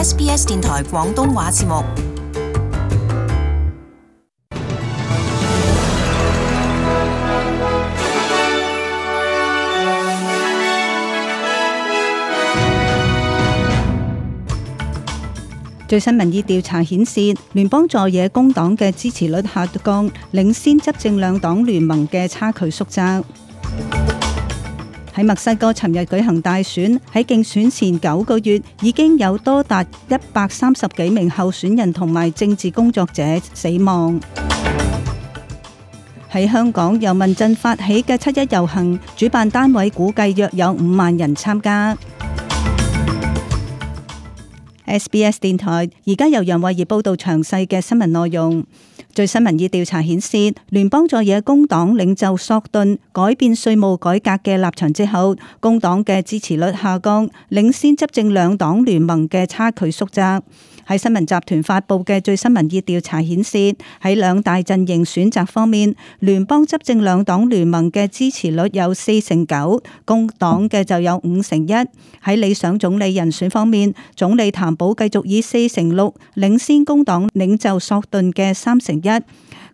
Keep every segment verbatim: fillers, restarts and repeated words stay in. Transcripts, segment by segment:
S B S 電台廣東話節目。最新民意調查顯示，聯邦在野工黨嘅支持率下降，領先執政兩黨聯盟嘅差距縮窄。喺墨西哥尋日舉行大選，喺競選前九個月已經有多達一百三十幾名候選人同埋政治工作者死亡。喺香港由民陣發起嘅七一遊行，主辦單位估計約有五萬人參加。S B S 電台而家由楊慧儀報道詳細嘅新聞內容。最新民意調查顯示，聯邦在野工黨領袖索頓改變稅務改革嘅立場之後，工黨嘅支持率下降，領先執政兩黨聯盟嘅差距縮窄。喺新聞集團發佈嘅最新民意調查顯示，喺兩大陣營選擇方面，聯邦執政兩黨聯盟嘅支持率有四成九，工黨嘅就有五成一。喺理想總理人選方面，總理譚寶繼續以四成六領先工黨領袖索頓嘅三成一。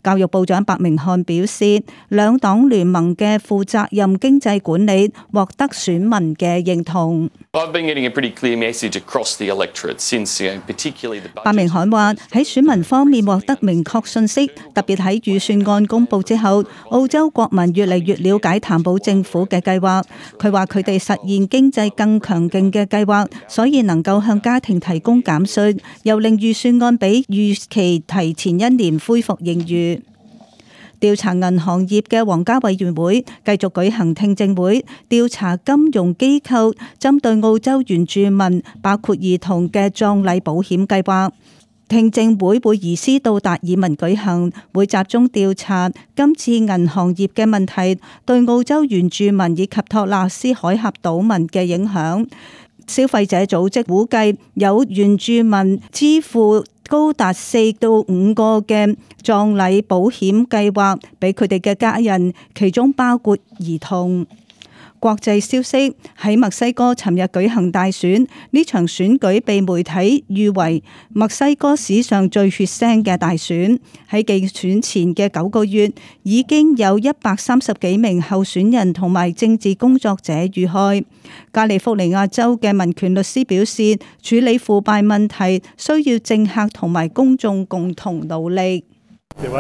教育部長白明漢表示，兩黨聯盟嘅負責任經濟管理獲得選民嘅認同。白明漢話喺選民方面獲得明確信息，特別喺預算案公布之後，澳洲國民越嚟越了解譚寶政府嘅計劃。佢話佢哋實現經濟更強勁嘅計劃，所以能夠向家庭提供減稅，又令預算案比預期提前一年恢復盈餘。調查銀行業嘅皇家委員會繼續舉行聽證會，調查金融機構針對澳洲原住民，包括兒童嘅葬禮保險計劃。聽證會會移師到達爾文舉行，會集中調查今次銀行業嘅問題對澳洲原住民以及托納斯海峽島民嘅影響。消費者組織估計有原住民支付高達四到五個嘅葬禮保險計劃俾佢哋嘅家人，其中包括兒童。國際消息，喺墨西哥尋日舉行大選，呢場選舉被媒體譽為墨西哥史上最血腥嘅大選。喺競選前嘅九個月，已經有一百三十幾名候選人同埋政治工作者遇害。加利福尼亞州嘅民權律師表示，處理腐敗問題需要政客同埋公眾共同努力。It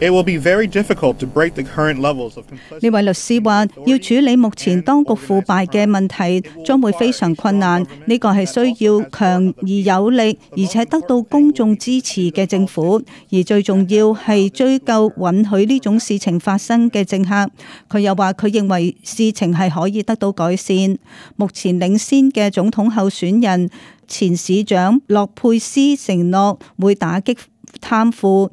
will be very difficult to break the current levels of complicity. 呢位律師話，要處理目前當局腐敗嘅問題，將會非常困難。呢個係需要強而有力，而且得到公眾支持嘅政府。而最重要係追究允許呢種事情發生嘅政客。佢又話，佢認為事情係可以得到改善。目前領先嘅總統候選人前市長洛佩斯承諾會打擊貪腐。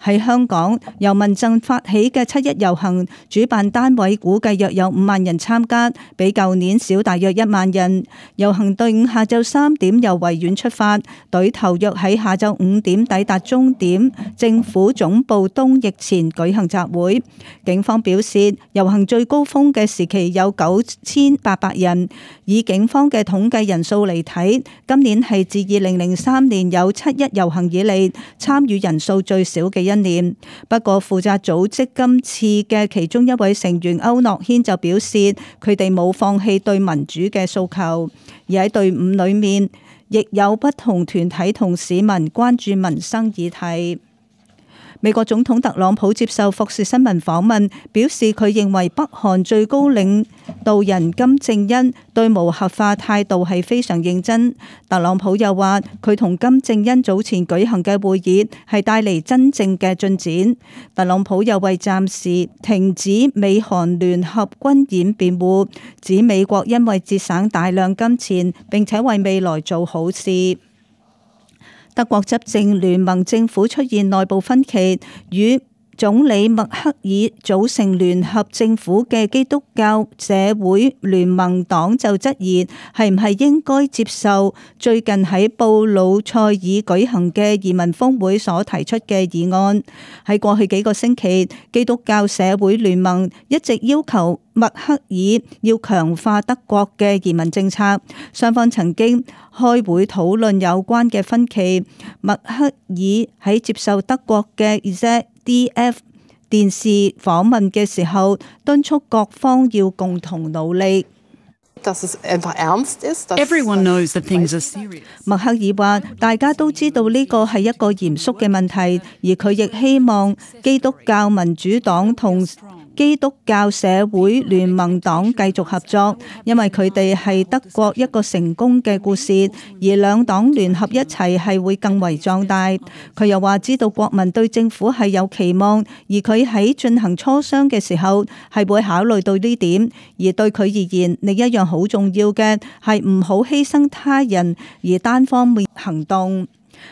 喺香港由民陣發起嘅七一遊行，主辦單位估計約有五萬人參加，比舊年少大約一萬人。遊行隊伍下晝三點由維園出發，隊頭約喺下晝五點抵達終點政府總部東翼前舉行集會。警方表示，遊行最高峰嘅時期有九千八百人，以警方嘅統計人數嚟睇，今年係自二零零三年有七一遊行以嚟參與人數最少嘅一年。不過負責組織今次嘅其中一位成員歐諾軒就表示，佢哋冇放棄對民主嘅訴求，而喺隊伍裏面亦有不同團體同市民關注民生議題。美國總統特朗普接受福士新聞訪問，表示佢認為北韓最高領導人金正恩對無核化態度係非常認真。特朗普又話，佢同金正恩早前舉行嘅會議係帶嚟真正嘅進展。特朗普又為暫時停止美韓聯合軍演辯護，指美國因為節省大量金錢，並且為未來做好事。德國執政聯盟政府出現內部分歧，與總理默克爾組成聯合政府嘅基督教社會聯盟黨就質疑係唔係應該接受最近喺布魯塞爾舉行嘅移民峰會所提出嘅議案。喺過去幾個星期，基督教社會聯盟一直要求默克爾要強化德國嘅移民政策，雙方曾經開會討論有關嘅分歧。默克爾喺接受德國嘅 Z D F 電視訪問嘅時候，敦促各方要共同努力。Everyone knows that things are serious. 默克爾話：大家都知道呢個係一個嚴肅嘅問題，而佢亦希望基督教民主黨同基督教社會聯盟黨繼續合作，因為佢哋係德國一個成功嘅故事，而兩黨聯合一齊係會更為壯大。佢又話知道國民對政府係有期望，而佢喺進行磋商嘅時候係會考慮到呢點，而對佢而言，另一樣好重要嘅係唔好犧牲他人而單方面行動。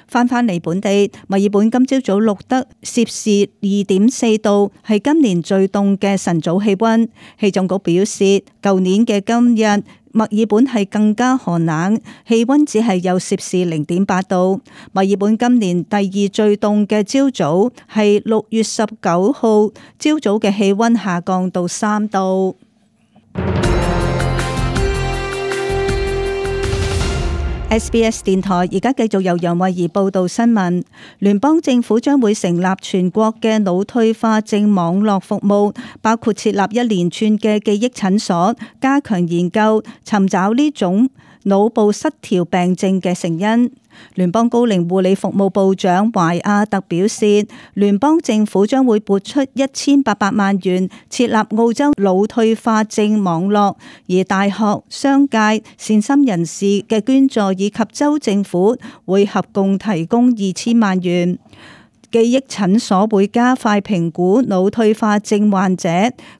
翻返嚟本地，墨爾本今朝早錄得攝氏二點四度，係今年最凍嘅晨早氣溫。氣象局表示，舊年嘅今日，墨爾本係更加寒冷，氣溫只係有攝氏零點八度。墨爾本今年第二最凍嘅朝早係六月十九號，朝早嘅氣溫下降到三度。S B S 電台而家繼續由楊慧儀報道新聞。聯邦政府將會成立全國嘅腦退化症網絡服務，包括設立一連串嘅記憶診所，加強研究，尋找呢種腦部失調病症嘅成因。聯邦高齡護理服務部長懷亞特表示，聯邦政府將會撥出一千八百萬元設立澳洲腦退化症網絡，而大學、商界、善心人士嘅捐助以及州政府會合共提供二千萬元。記憶診所會加快評估腦退化症患者，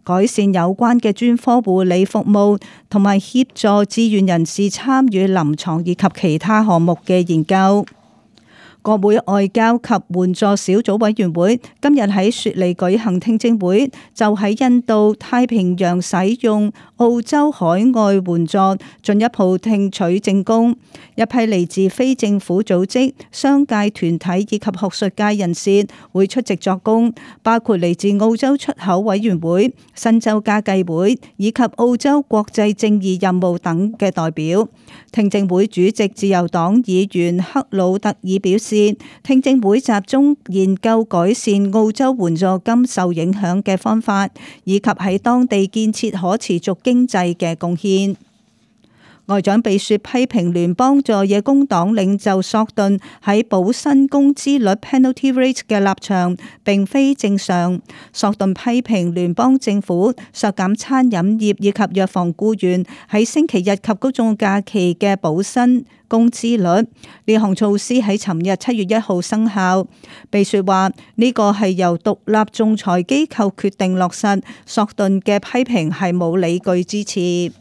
改善有關嘅專科護理服務，同埋協助志願人士參與臨床以及其他項目嘅研究。國會外交及援助小組委員會今日喺雪梨舉行聽證會，就喺印度太平洋使用澳洲海外援助進一步聽取證供。一批嚟自非政府組織、商界團體以及學術界人士會出席作供，包括嚟自澳洲出口委員會、新州家計會以及澳洲國際正義任務等嘅代表。聽證會主席自由黨議員克魯特爾表示，聽證會集中研究改善澳洲援助金受影響嘅方法，以及喺當地建設可持續經濟嘅貢獻。外長貝雪批評聯邦在野工黨領袖索頓喺保薪工資率 penalty rate 嘅立場並非正常。索頓批評聯邦政府削減餐飲業以及藥房僱員喺星期日及公眾假期嘅保薪工資率。呢項措施喺尋日七月一號生效。貝雪話呢個係由獨立仲裁機構決定落實，索頓嘅批評係冇理據支持。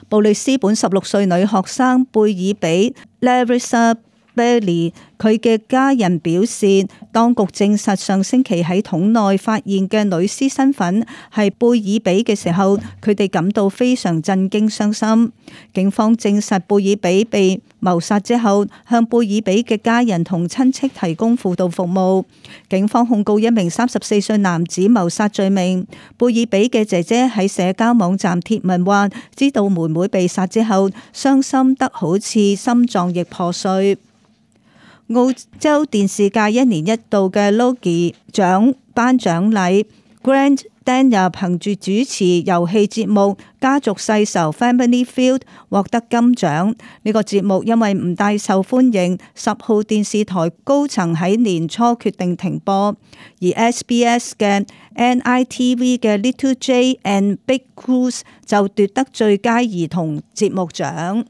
布里斯本十六歲女學生貝爾比 Larissa Bailey， 佢嘅家人表示，當局證實上星期喺桶內發現嘅女屍身份係貝爾比嘅時候，佢哋感到非常震驚傷心。警方證實貝爾比被謀殺之後，向貝爾比嘅家人同親戚提供輔導服務。警方控告一名三十四歲男子謀殺罪名。貝爾比嘅姐姐喺社交網站貼文話，知道妹妹被殺之後，傷心得好似心臟亦破碎。澳洲電視界一年一度嘅 Logie 獎頒獎禮 ，Grant Denyer 憑住主持遊戲節目《家族世仇 Family Feud》獲得金獎。呢個節目因為唔大受歡迎，十號電視台高層喺年初決定停播，而 S B S 嘅 N I T V 嘅 Little Jay and Big Goose 就奪得最佳兒童節目獎。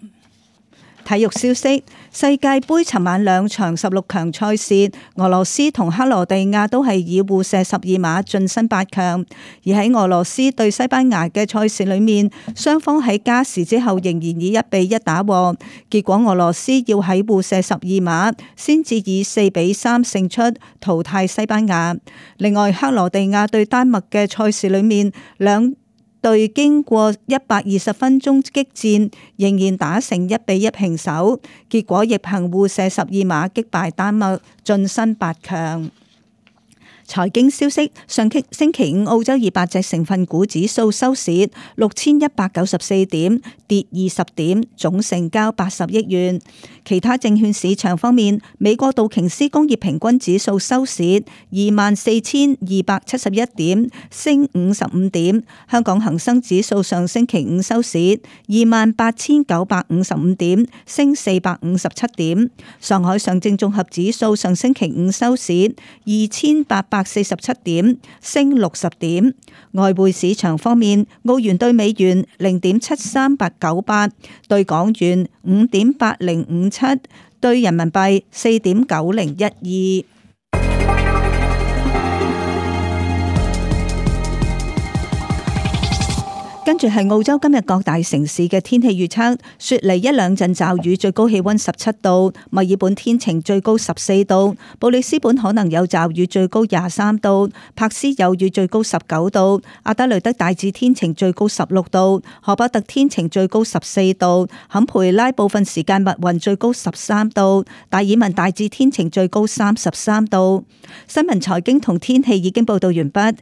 體育消息：世界盃尋晚兩場十六強賽事，俄羅斯同克羅地亞都係以互射十二碼晉身八強。而喺俄羅斯對西班牙嘅賽事裏面，雙方喺加時之後仍然以一比一打和，結果俄羅斯要喺互射十二碼先至以四比三勝出，淘汰西班牙。另外，克羅地亞對丹麥嘅賽事裏面，兩隊經過一百二十分鐘激戰，仍然打成一比一平手，結果亦憑互射十二碼擊敗丹麥，晉身八強。財經消息：上星期五澳洲二百隻成分股指數收市六千一百九十四點，跌二十點，總成交八十億元。其他證券市場方面，美國道瓊斯工業平均指數收市二萬四千二百七十一點，升五十五點。香港恒生指數上星期五收市二萬八千九百五十五點，升四百五十七點。上海上證綜合指數上星期五收市二千八百四十七點，升六十點。外匯市場方面，澳元兌美元零點七三八九八，兌港元五點八零五七，兌人民幣四點九零一二。跟住係澳洲今日各大城市嘅天氣預測：雪梨一兩陣驟雨，最高氣溫十七度；墨爾本天晴，最高十四度；布里斯本可能有驟雨，最高廿三度；柏斯有雨，最高十九度；阿德雷德大致天晴，最高十六度；荷伯特天晴，最高十四度；坎培拉部分時間密雲，最高十三度；達爾文大致天晴，最高三十三度。新聞、財經同天氣已經報道完畢。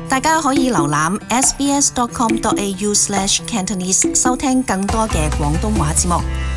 大家可以瀏覽 s b s dot com dot a u slash cantonese 收聽更多嘅廣東話節目。